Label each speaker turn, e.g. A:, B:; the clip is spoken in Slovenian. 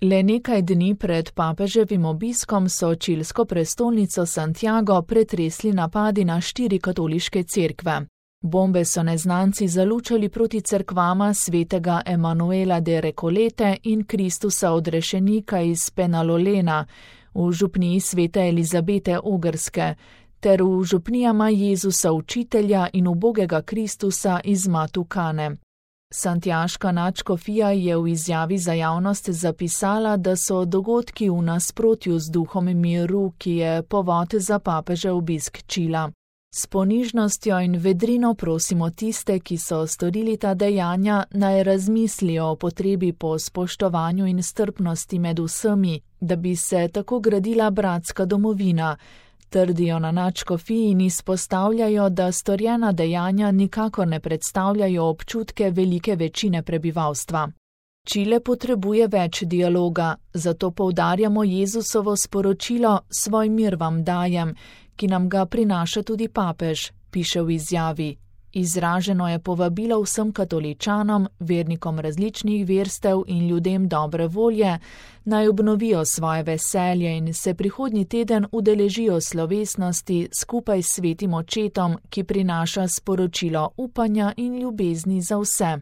A: Le nekaj dni pred papeževim obiskom so čilsko prestolnico Santiago pretresli napadi na 4 katoliške cerkve. Bombe so neznanci zalučali proti cerkvama svetega Emanuela de Recolete in Kristusa odrešenika iz Penalolena, v župniji svete Elizabete Ogrske, ter v župnijama Jezusa Učitelja in ubogega Kristusa iz Matukane. Santiaška nadškofija je v izjavi za javnost zapisala, da so dogodki v nasprotju z duhom miru, ki je povod za papežev obisk Čila. S ponižnostjo in vedrino prosimo tiste, ki so storili ta dejanja, naj razmislijo o potrebi po spoštovanju in strpnosti med vsemi, da bi se tako gradila bratska domovina, trdijo na nadškofiji in izpostavljajo, da storjena dejanja nikakor ne predstavljajo občutke velike večine prebivalstva. Čile potrebuje več dialoga, zato poudarjamo Jezusovo sporočilo Svoj mir vam dajem, ki nam ga prinaša tudi papež, piše v izjavi. Izraženo je povabilo vsem katoličanom, vernikom različnih verstev in ljudem dobre volje, naj obnovijo svoje veselje in se prihodnji teden udeležijo slovesnosti skupaj s svetim očetom, ki prinaša sporočilo upanja in ljubezni za vse.